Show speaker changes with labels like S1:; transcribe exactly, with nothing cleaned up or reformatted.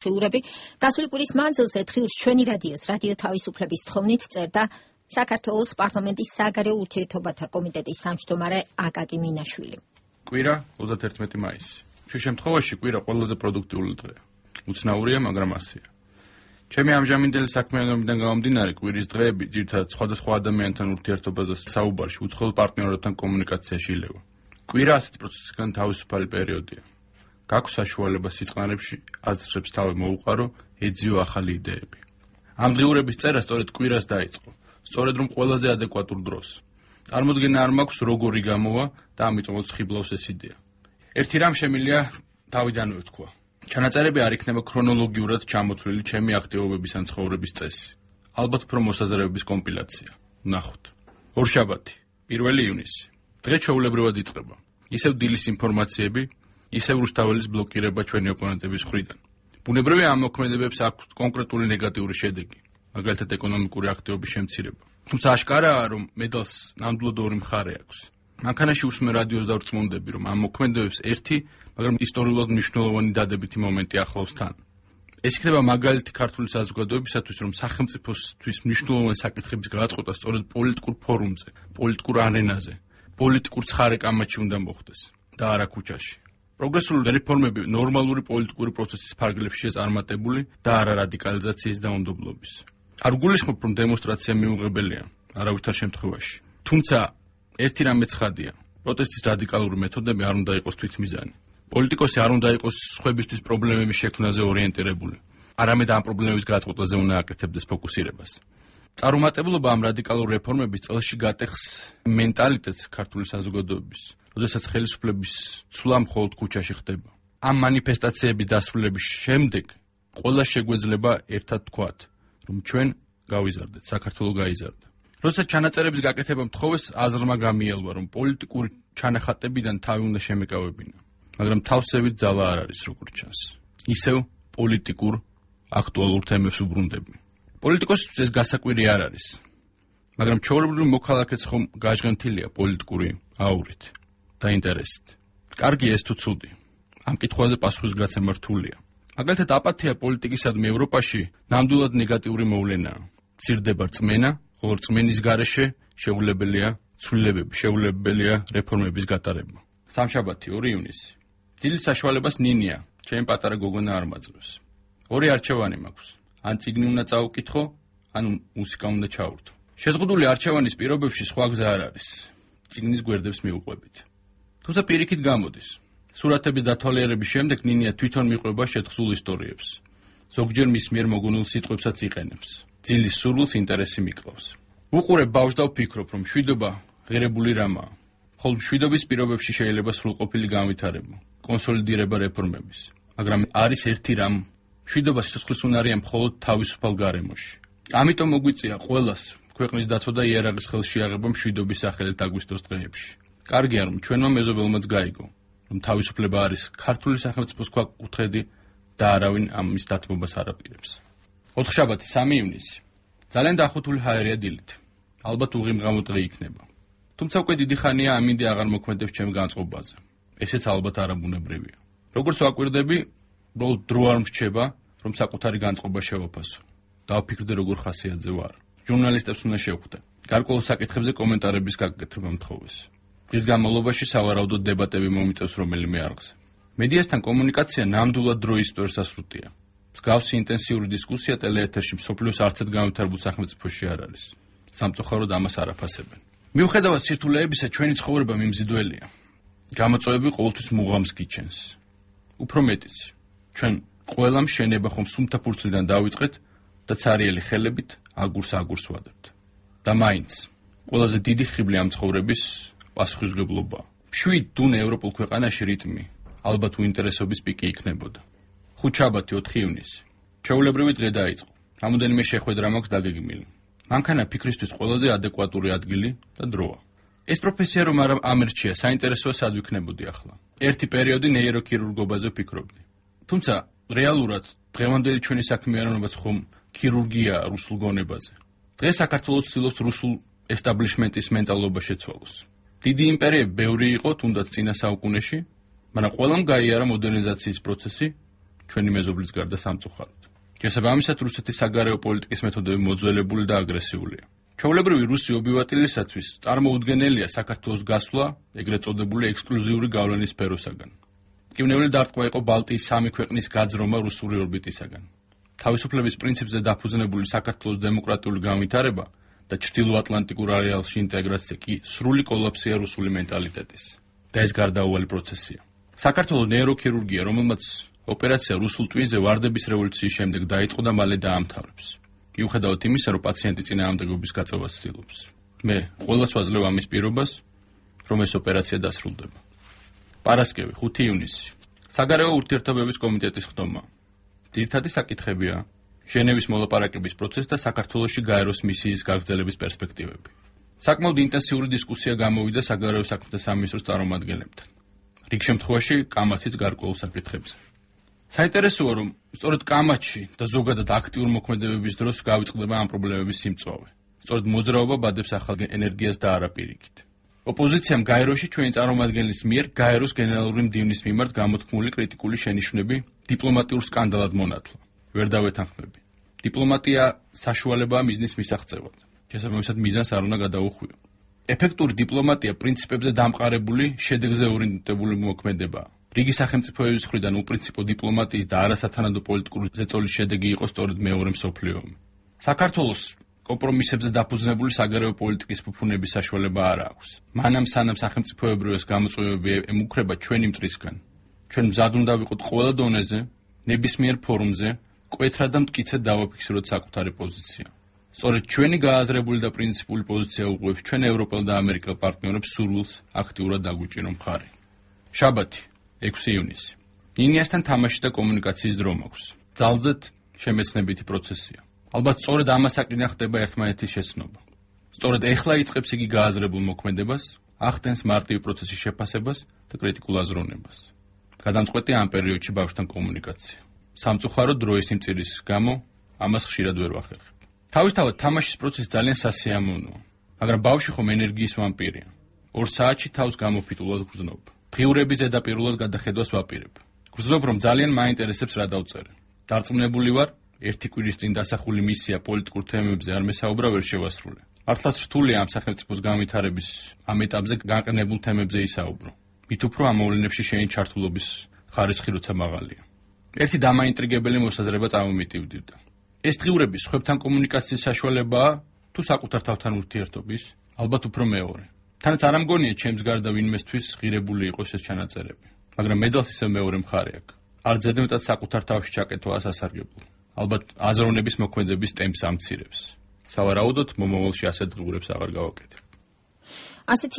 S1: ხილურები გასული კვირის მანძილზე დღიურს ჩვენი რადიოს რადიო თავისუფლების თხოვნით წერდა საქართველოს პარლამენტის საგარეო ურთიერთობათა კომიტეტის თავმჯდომარე აკაკი მინაშვილი.
S2: კვირა ოცდაერთმეტი მაისი. შენ შემთხვევაში კვირა ყველაზე პროდუქტიული დღეა. უცნაურია, მაგრამ ასეა. ჩემი ამჟამინდელი საქმიანობიდან გამომდინარე კვირის დღეები ძირითადად სხვადასხვა ადამიანთან ურთიერთობაზე საუბარში, უცხოელ პარტნიორებთან კომუნიკაციაში ილევა. კვირა ასეთი პროცესისგან თავისუფალი პერიოდია. გაქვს საშუალება სიწყნარებში აზრებს თავი მოუყარო, ეძიო ახალი იდეები. ამ დღიურების წერა სწორედ კვირას დაიწყო, სწორედ რომ ყველაზე ადეკვატურ დროს. წარმოდგენა არ მაქვს როგორი გამოვა და ამიტომაც ხიბლავს ეს იდეა. ერთი რამ შემიძლია თავიდანვე ვთქვა. ჩანაწერები არ იქნება ქრონოლოგიურად ჩამოთვლილი ჩემი აქტივობების ან ცხოვრების წესი. ალბათ უფრო მოსაზრებების კომპილაცია. ვნახოთ. ორშაბათი, პირველი ივნისი. დღე ჩვეულებრივად იწყება. ისევ დილის ინფორმაციები, ისევ რუსთაველის ბლოკირება ჩვენი ოპონენტების მხრიდან. ბუნებრივია ამ მოქმედებებს აქვს კონკრეტული ნეგატიური შედეგი, მაგალითად ეკონომიკური აქტივობის შემცირება. თუმცა აშკარაა, რომ მედალს ნამდვილად ორი მხარე აქვს. მანქანაში უსმენ რადიოს და ვწმუნდები, რომ ამ მოქმედებებს ერთი, მაგრამ ისტორიულად მნიშვნელოვანი დადებითი მომენტი ახლავს თან. ეს იქნება მაგალითი ქართული საზოგადოებისათვის, რომ სახელმწიფოსთვის მნიშვნელოვანი საკითხების გადაწყვეტა სწორედ პოლიტიკურ ფორუმზე, პოლიტიკურ არენაზე, პოლიტიკურ ცხარე-კამათში უნდა მოხდეს და არა ქუჩაში. პროგრესული რეფორმები ნორმალური პოლიტიკური პროცესის ფარგლებშია წარმატებული და არა რადიკალიზაციის დაუნდობლობის. არ გულისხმობ, რომ დემონსტრაცია მიუღებელია, არავითარ შემთხვევაში. თუმცა ერთი რამე ცხადია, პროტესტის რადიკალური მეთოდები არ უნდა იყოს თვითმიზანი. პოლიტიკოსი არ უნდა იყოს სხვებისთვის პრობლემების შექმნაზე ორიენტირებული, არამედ ამ პრობლემების გადაწყვეტაზე უნდა აკეთებდეს ფოკუსირებას. წარუმატებლობა ამ რადიკალური რეფორმების წელში გატეხს მენტალიტეტს ქართული საზოგადოების, როდესაც ხელისუფლების ცვლა მხოლოდ ქუჩაში ხდება. ამ მანიფესტაციების დასრულების შემდეგ ყველა შეგვეძლება ერთად თქვათ, რომ ჩვენ გავიზარდეთ, საქართველო გაიზარდა. როდესაც ჩანაწერების გაკეთება მთხოვეს, აზრმა გამიელვა, რომ პოლიტიკური ჩანახატებიდან თავი უნდა შემეკავებინა, მაგრამ თავსებით ძალა არ არის, როგორც ჩანს. ისევ პოლიტიკურ აქტუალურ თემებს უბრუნდები. პოლიტიკოსისთვის ეს გასაკვირი არ არის, მაგრამ ჩვეულებრივ მოქალაქეც ხომ გაჟღენთილია პოლიტიკური აურით და ინტერესით. კარგია ეს თუ ცუდი. ამ კითხვაზე პასუხისგაცემა რთულია. მაგალითად, აპათია პოლიტიკისადმი ევროპაში ნამდვილად ნეგატიური მოვლენაა. მცირდება რწმენა, ხოლო რწმენის გარეშე შეუძლებელია ცვლილებები, შეუძლებელია რეფორმების გატარება. სამშაბათი, ორი ივნისი. დილის საშუალებას ნინია, ჩემი პატარა გოგონა არ მაძლევს. ორი არჩევანი მაქვს. ან წიგნი უნდა წაუკითხო, ან მუსიკა უნდა ჩაურთო. შეზღუდული არჩევანის პირობებში სხვა გზა არ არის. წიგნის გვერდებს მიუყვებით. თუმცა პირიქით გამოდის. სურათების დათვალიერების შემდეგ ნინია თვითონ მიყვება შეთხზულ ისტორიებს. ზოგჯერ მის მიერ მოგონილ სიტყვებსაც იყენებს. ძილის სურვილს ინტერესი მიკლავს. უყურებ ბავშვს და ვფიქრობ, რომ მშვიდობა ღირებული რამაა. ხოლო მშვიდობის პირობებში შეიძლება სრულყოფილი განვითარება, კონსოლიდირება რეფორმების. მაგრამ არის ერთი რამ, მშვიდობა სიცოცხლის უნარია მხოლოდ თავისუფალ გარემოში. ამიტომ მოგვიწია ყველას ქვეყნის დაცვა და იარაღის ხელშეაღება მშვიდობის სახელით აგვისტოს დღეებში. კარგია, რომ ჩვენმა მეზობელმაც გაიგო, რომ თავისუფლება არის ქართული სახელმწიფოს ქვაკუთხედი და არავინ ამის დათმობას არ აპირებს. ოთხშაბათი, სამი ივნისი. ძალიან დახუთული ჰაერია დილით. ალბათ უღიმღამო დღე იქნება. თუმცა უკვე დიდი ხანია ამ იდეა აღარ მოქმედებს ჩემ განწყობაზე. ესეც ალბათ არაბუნებრივია. როგორც ვაკვირდები, უბრალოდ დრო არ მრჩება, რომ საკუთარი განწყობა შევაფასო. დავფიქრდე, როგორ ხასიათზე ვარ. ჟურნალისტებს უნდა შევხვდე. გარკვეულ საკითხებზე კომენტარების გაკეთება მთხოვეს. დღის განმავლობაში სავარაუდოდ დებატები მომიწევს რომელიმე არხზე. მედიასთან კომუნიკაცია ნამდვილად დროის სტრესასრუტია. მსგავსი ინტენსიური დისკუსია ტელეეთერში მსოფლიოს არცერთ განვითარებულ სახელმწიფოში არ არის. სამწუხაროდ ამას არ აფასებენ. მიუხედავად სირთულეებისა, ჩვენი ცხოვრება მიმზიდველია. გამოწვევები ყოველთვის მუღამს გიჩენს. უფრო მეტიც, ჩვენ ყველამ შენება ხომ სუმთა ფურცლიდან დავიწყეთ და ცარიელი ხელებით აგურს აგურს ვადებთ. და მაინც, ყველაზე დიდი ხიბლი ამ ცხოვრების პასუხისმგებლობაა. მშვიდ დუნე ევროპულ ქვეყანაში რიტმი, ალბათ უინტერესობის პიკი იქნებოდა. ხუთშაბათი, ოთხი ივნისი. ჩვეულებრივი დღე დაიწყო. რამოდენიმე შეხვედრა მაქვს დაგეგმილი. მანქანა ფიქრისთვის ყველაზე ადეკვატური ადგილი და დროა. ეს პროფესია რომ არ ამერჩია, საინტერესოა სად ვიქნებოდი ახლა. ერთი პერიოდი ნეიროქირურგობაზე ვფიქრობდი. თუმცა რეალურად დღევანდელი ჩვენი საქმიანობაც ხომ ქირურგია რუსულ გონებაზე. დღეს საქართველოს ცდილობს რუსულ ესტაბლიშმენტის მენტალობა შეცვალოს. დიდი იმპერიები ბევრი იყო თუნდაც წინა საუკუნეში, მაგრამ ყველამ გაიარა მოდერნიზაციის პროცესი, ჩვენი მეზობლის გარდა სამწუხაროდ. შესაბამისად, რუსეთის საგარეო პოლიტიკის მეთოდები მოძველებული და აგრესიულია. ჩვეულებრივი რუსი ობივატილისათვის წარმოუდგენელია საქართველოს გასვლა ეგრეთ წოდებული ექსკლუზიური გავლენის სფეროსაგან. მტკივნეული დარტყმა იყო ბალტიის სამი ქვეყნის გაძრომა რუსული ორბიტისაგან. თავისუფლების პრინციპზე დაფუძნებული საქართველოს დემოკრატიული განვითარება და ჩრდილოატლანტიკურ არეალში ინტეგრაცია კი სრული კოლაფსია რუსული მენტალიტეტის. და ეს გარდაუვალი პროცესია. საქართველოს ნეიროქირურგია, რომელმაც ოპერაცია რუსულ ტვინზე ვარდების რევოლუციის შემდეგ დაიწყო და მალე დაამთავრებს. მიუხედავად იმისა, რომ პაციენტი წინააღმდეგობის გაწევას ცდილობს. მე ყველას ვაძლევ ამის პირობას, რომ ეს ოპერაცია დასრულდება. პარასკევი, ხუთი ივნისი. საგარეო ურთიერთობების კომიტეტის ხდომა. ძირითადი საკითხებია ჟენევის მოლაპარაკების პროცესი და საქართველოში გაეროს მისიის გაგრძელების პერსპექტივები. საკმაოდ ინტენსიური დისკუსია გამოვიდა საგარეო საქმეთა სამინისტროს წარმომადგენლებთან. რიგ შემთხვევაში კამათის გარკვეულ საკითხებზე. საინტერესოა, რომ სწორედ კამათში და ზოგადად აქტიურ მოქმედებების დროს გავიწყდება ამ პრობლემების სიმწვავე. სწორედ მოძრაობა ბადებს ახალ ენერგიას და არა პირიქით. ოპოზიციამ გაეროში ჩვენი წარმომადგენლის მიერ გაეროს გენერალური მდივნის მიმართ გამოთქმული კრიტიკული შენიშვნები დიპლომატიურ სკანდალად მონათლა. ვერ დავეთანხმები. დიპლომატია საშუალებაა მიზნის მისაღწევად. შესაბამისად მიზანს არ უნდა გადაუხვიო. ეფექტური დიპლომატია პრინციპებზე დამყარებული, შედეგზე ორიენტირებული მოქმედებაა. რიგი სახელმწიფოების მხრიდან უპრინციპო დიპლომატიის და არასათანადო პოლიტიკური ზეწოლის შედეგი იყო სწორედ მეორე მსოფლიო ომი. საქართველოს კომპრომისებზე დაფუძნებული საგარეო პოლიტიკის ფუფუნების საშუალება არ აქვს. მანამ სანამ სახელმწიფოებრიოს გამოწვევები ემუქრება ჩვენი მტრისგან. ჩვენ მზად უნდა ვიყოთ ყველა დონეზე, ნებისმიერ ფორუმზე, მკვეთრად და მტკიცედ დავაფიქსიროთ საკუთარი პოზიცია. სწორედ ჩვენი გააზრებული და პრინციპული პოზიცია უყურებს ჩვენ ევროპელ და ამერიკელ პარტნიორებს სურვილს აქტიურად დაგვიჭირო მხარი. შაბათი, ექვსი ივნისი. ნინიასთან თამაში და კომუნიკაციის დრო მაქვს. ძალზედ შემეცნებითი პროცესია. ალბათ სწორედ ამასაკიდან ხდება ერთმანეთის შეცნობა. სწორედ ეხლა იწყებს იგი გააზრებულ მოქმედებას, ახდენს მარტივი პროცესის შეფასებას და კრიტიკულ აზროვნებას. გადამწყვეტია ამ პერიოდში ბავშვთან კომუნიკაცია. სამწუხაროდ დროის სიმწირის გამო ამას ხშირად ვერ ვახერხებ. თავისთავად თამაშის პროცესი ძალიან სასიამოვნოა, მაგრამ ბავშვი ხომ ენერგიის ვამპირია. ორ საათში თავს გამოფიტულად გრძნობ. დღიურების ზედაპირულად გადახედვას ვაპირებ. გრძნობ, რომ ძალიან მაინტერესებს რა დავწერე. დარწმუნებული ვარ, ერთი კვირის წინ დასახული მისია პოლიტიკურ თემებზე არ მესაუბრა ვერ შევასრულე. მართლაც რთულია ამ სახელმწიფოს განვითარების ამ ეტაპზე განყნებულ თემებზე ისაუბრო. მით უფრო ამ მოვლენებში შენი ჩართულობის ხარისხი როცა მაღალია. ერთი დამაინტრიგებელი მოსაზრება წამომიტივდივდა. ეს დღიურები სხვებთან კომუნიკაციის საშუალებაა თუ საკუთარ თავთან ურთიერთობის? ალბათ უფრო მეორე. თანაც არ ამგონია ჩემს გარდა ვინმესთვის ღირებული იყოს ეს ჩანაწერები. მაგრამ მედალს ისევ მეორე მხარე აქვს. არ ზედმეტად საკუთარ თავში ჩაკეთვა ასასარგებლო. ალბათ აზროვნების მოქმედების ტემპს ამცირებს. სავარაუდოდ მომავალში ასეთ დღიურებს აღარ გავაკეთებ.
S1: ასეთი